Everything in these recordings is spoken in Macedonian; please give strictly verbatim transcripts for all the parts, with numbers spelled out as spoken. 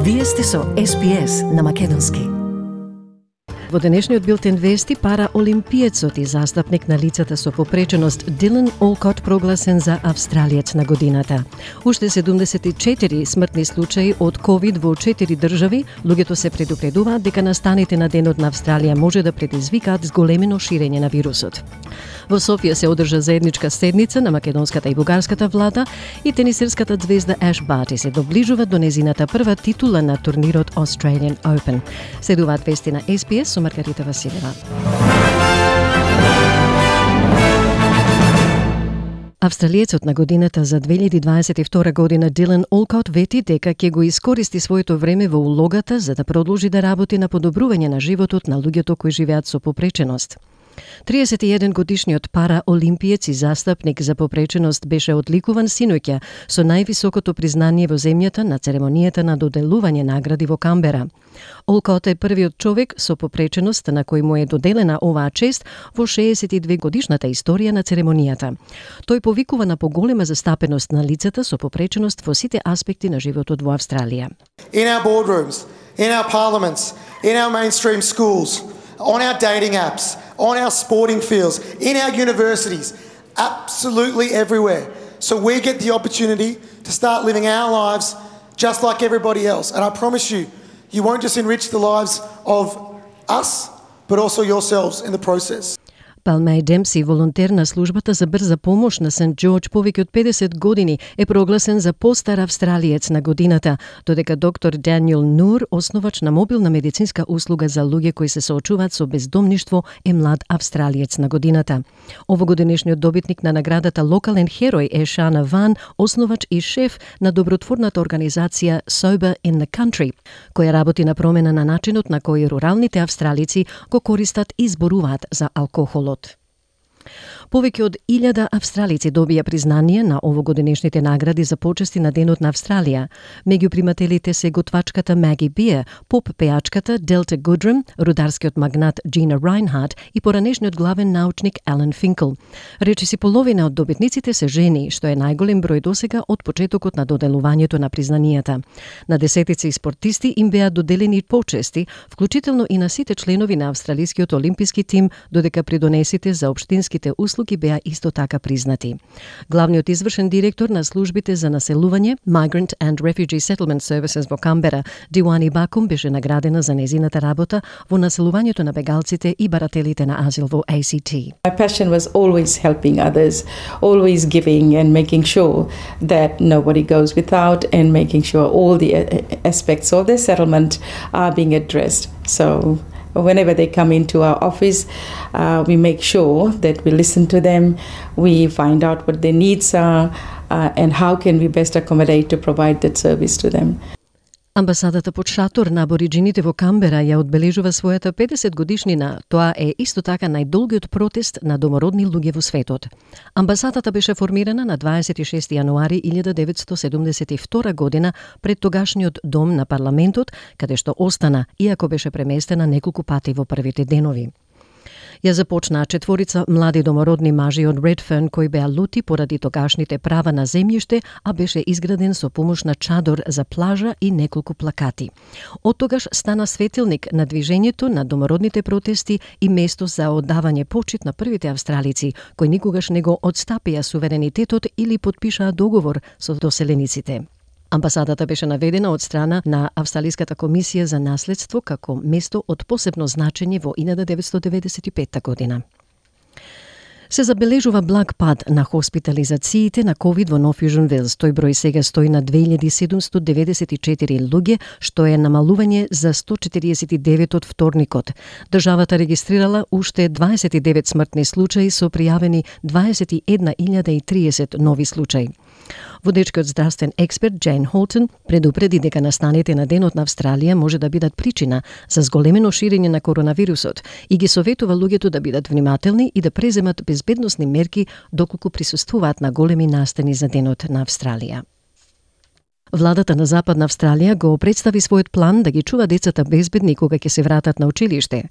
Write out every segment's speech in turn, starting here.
Вие сте со Ес Би Ес на македонски. Во денешниот билтен вести, пара олимпиецот и застапник на лицата со попреченост Дилан Олкот прогласен за австралиец на годината. Уште седумдесет и четири смртни случаи од ковид во четири држави, луѓето се предупредуваат дека настаните на Денот на Австралија може да предизвикаат зголемено ширење на вирусот. Во Софија се одржа заедничка седница на македонската и бугарската влада и тенисерската звезда Еш Барти се доближува до незината прва титула на турнирот Australian Open. Следуваат вести на Ес Би Ес со Маргарита Василева. Австралиецот на годината за две илјади дваесет и втора година Дилан Олкот вети дека ќе го искористи своето време во улогата за да продолжи да работи на подобрување на животот на луѓето кои живеат со попреченост. триесет и еден годишниот пара олимпиец и застапник за попреченост беше одликуван синоќа со највисокото признание во земјата на церемонијата на доделување награди во Камбера. Олкот е првиот човек со попреченост на кој му е доделена оваа чест во шеесет и две годишната историја на церемонијата. Тој повикува на поголема застапеност на лицата со попреченост во сите аспекти на животот во Австралија. In our boardrooms, in our parliaments, in our mainstream schools, on our dating apps, on our sporting fields, in our universities, absolutely everywhere. So we get the opportunity to start living our lives just like everybody else. And I promise you, you won't just enrich the lives of us, but also yourselves in the process. Палмеј Демси, волонтер на службата за брза помош на Сент Џорџ повеќе од педесет години, е прогласен за постар австралиец на годината, додека доктор Даниел Нур, основач на мобилна медицинска услуга за луѓе кои се соочуваат со бездомништво, е млад австралиец на годината. Овогодишниот добитник на наградата Локален херој е Шана Ван, основач и шеф на добротворната организација Sober in the Country, која работи на промена на начинот на кој руралните австралици го користат и зборуваат за алкохолот. Повеќе од илјада австралици добија признание на овогодинешните награди за почести на Денот на Австралија. Меѓу примателите се готвачката Маги Биер, поп пеачката Делта Гудрам, рударскиот магнат Джина Райнхард и поранешниот главен научник Ален Финкл. Речиси половина од добитниците се жени, што е најголем број досега од почетокот на доделувањето на признанијата. На десетици спортисти им беа доделени почести, вклучително и на сите членови на австралискиот олимписки тим, додека придонесите за општинските услуги беа исто така признати. Главниот извршен директор на службите за населување, Migrant and Refugee Settlement Services во Камбера, Диуани Бакум, беше наградена за незината работа во населувањето на бегалците и барателите на азил во А Си Ти. My passion was always helping others, always giving and making sure that nobody goes without and making sure all the aspects of their settlement are being addressed. So whenever they come into our office, uh, we make sure that we listen to them, we find out what their needs are, uh, and how can we best accommodate to provide that service to them. Амбасадата под шатор на абориџините во Камбера ја одбележува својата педесет годишнина. Тоа е исто така најдолгиот протест на домородни луѓе во светот. Амбасадата беше формирана на дваесет и шести јануари илјада деветстотини седумдесет и втора година пред тогашниот дом на парламентот, каде што остана, иако беше преместена неколку пати во првите денови. Ја започнаа четворица млади домородни мажи од Редферн кои беа лути поради тогашните права на земјиште, а беше изграден со помош на чадор за плажа и неколку плакати. Од тогаш стана светилник на движењето на домородните протести и место за оддавање почит на првите австралици, кои никогаш не го одстапија суверенитетот или потпишаа договор со доселениците. Амбасадата беше наведена од страна на Австралиската комисија за наследство како место од посебно значење во илјада деветстотини деветдесет и пета година. Се забележува благ пад на хоспитализациите на ковид во Нов Јужен Велс. Тој број сега стои на две илјади седумстотини деветдесет и четири луѓе, што е намалување за сто четириесет и девет од вторникот. Државата регистрирала уште дваесет и девет смртни случаи со пријавени дваесет и една илјада и триесет нови случаи. Водечкиот здравствен експерт Джейн Холтон предупреди дека настаните на Денот на Австралија може да бидат причина за зголемено ширење на коронавирусот и ги советува луѓето да бидат внимателни и да преземат безбедносни мерки доколку присуствуваат на големи настани за Денот на Австралија. Владата на Западна Австралија го представи својот план да ги чува децата безбедни кога ќе се вратат на училиште.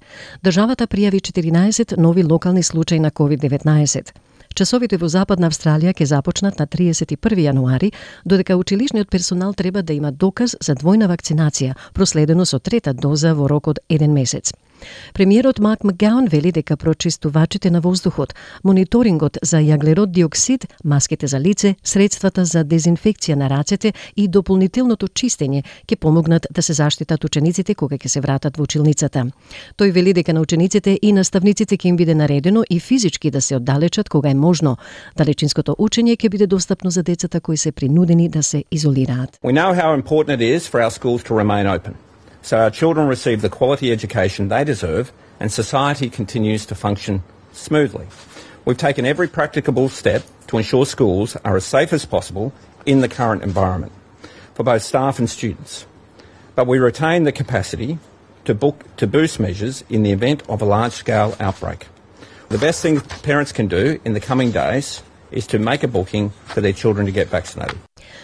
Државата пријави четиринаесет нови локални случаи на ковид деветнаесет. Часовите во Западна Австралија ќе започнат на триесет и први јануари, додека училишниот персонал треба да има доказ за двојна вакцинација, проследено со трета доза во рок од еден месец. Премиерот Марк Макгоун вели дека прочистувачите на воздухот, мониторингот за јаглерод диоксид, маските за лице, средствата за дезинфекција на рацете и дополнителното чистење ќе помогнат да се заштитат учениците кога ќе се вратат во училницата. Тој вели дека на учениците и наставниците ќе им биде наредено и физички да се оддалечат кога е можно. Далечинското учење ќе биде достапно за децата кои се принудени да се изолираат. We know how important it is for our schools to remain open, so our children receive the quality education they deserve and society continues to function smoothly. We've taken every practicable step to ensure schools are as safe as possible in the current environment for both staff and students. But we retain the capacity to book to boost measures in the event of a large-scale outbreak. The best thing parents can do in the coming days is to make a booking for their children to get vaccinated.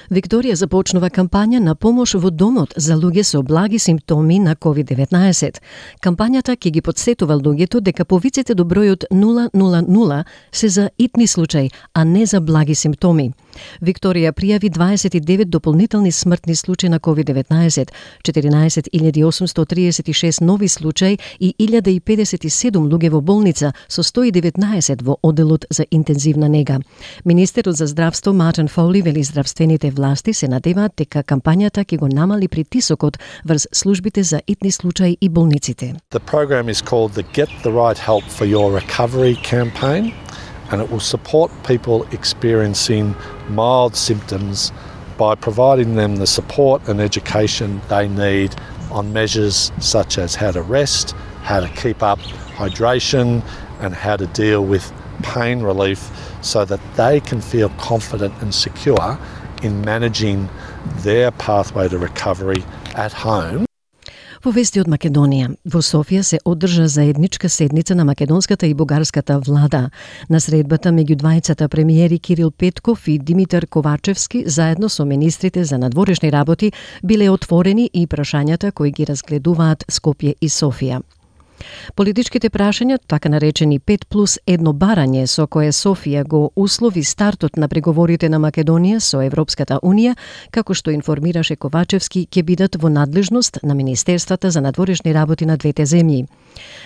Викторија започнува кампања на помош во домот за луѓе со благи симптоми на ковид деветнаесет. Кампањата ќе ги потсетува луѓето дека повиците до бројот нула нула нула се за итни случаи, а не за благи симптоми. Викторија пријави дваесет и девет дополнителни смртни случаи на ковид деветнаесет, четиринаесет илјади осумстотини триесет и шест нови случаи и илјада и педесет и седум луѓе во болница, со сто и деветнаесет во оделот за интензивна нега. Министерот за здравство Мартин Фоли вели здравствените власти се надеваат дека кампањата ќе го намали притисокот врз службите за итни случаи и болниците. The program is called the Get the Right Help for Your Recovery campaign, and it will support people experiencing mild symptoms by providing them the support and education they need on measures such as how to rest, how to keep up hydration, and how to deal with pain relief so that they can feel confident and secure in managing their pathway to recovery at home. Во вести од Македонија, во Софија се одржа заедничка седница на македонската и бугарската влада. На средбата меѓу двајцата премиери Кирил Петков и Димитар Ковачевски заедно со министрите за надворешни работи биле отворени и прашањата кои ги разгледуваат Скопје и Софија. Политичките прашања, така наречени пет плюс едно барање со кое Софија го услови стартот на преговорите на Македонија со Европската Унија, како што информираше Ковачевски, ќе бидат во надлежност на Министерствата за надворешни работи на двете земји.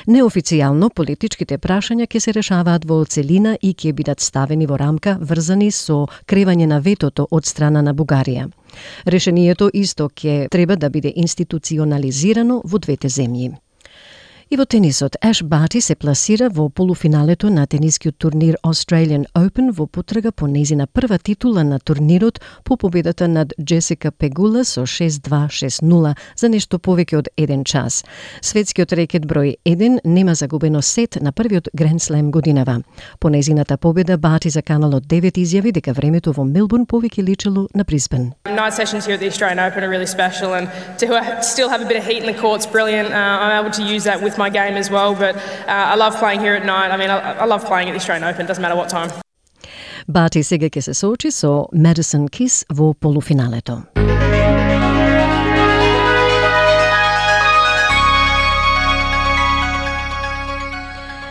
Неофицијално, политичките прашања ќе се решаваат во целина и ќе бидат ставени во рамка врзани со кревање на ветото од страна на Бугарија. Решението исто ќе треба да биде институционализирано во двете земји. И во тенисот, Аш Барти се пласира во полуфиналето на тенискиот турнир Australian Open во потрага по нејзина прва титула на турнирот по победата над Джесика Пегула со шест два шест нула за нешто повеќе од еден час. Светскиот рекет број еден нема загубено сет на првиот Гранд Слем годинава. По нејзината победа Барти заканало девет изјави дека времето во Мелбурн повеќе личело на Брисбен. Night sessions here at the Australian Open are really special, and to still have a bit of heat in the court's brilliant. Uh, I'm able to use that with my game as well, but uh, I love playing here at night. I mean, I, I love playing at the Australian Open, doesn't matter what time. Барти сега ќе се соочи со Madison Keys во полуфиналето.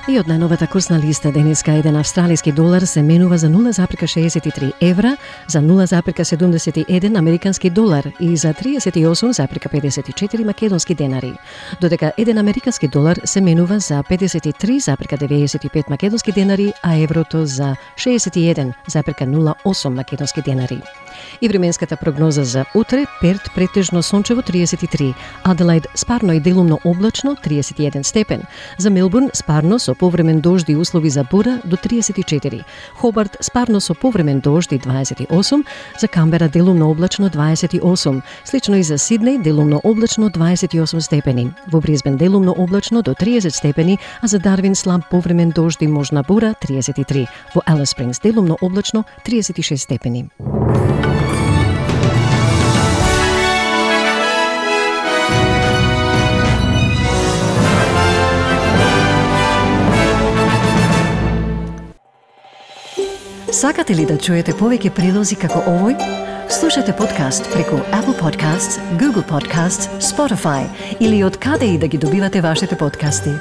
И од најновата курсна листа денеска еден австралиски долар се менува за нула запирка шеесет и три евра, за нула запирка седумдесет и еден американски долар и за триесет и осум запирка педесет и четири македонски денари. Додека еден американски долар се менува за педесет и три запирка деветдесет и пет македонски денари, а еврото за шеесет и еден запирка нула осум македонски денари. И временската прогноза за утре: Перт претежно сончево триесет и три, Аделаид спарно и делумно облачно триесет и еден степен, за Мелбурн спарно со повремен дожд и услови за бура до триесет и четири, Хобарт спарно со повремен дожд и дваесет и осум, за Камбера делумно облачно дваесет и осум, слично и за Сиднеј делумно облачно дваесет и осум степени, во Брисбен делумно облачно до триесет степени, а за Дарвин слаб повремен дожд и можна бура триесет и три, во Алис Спрингс делумно облачно триесет и шест степени. Сакате ли да чуете повеќе прилози како овој? Слушате подкаст преку Apple Podcasts, Google Podcasts, Spotify или од каде и да ги добивате вашите подкасти.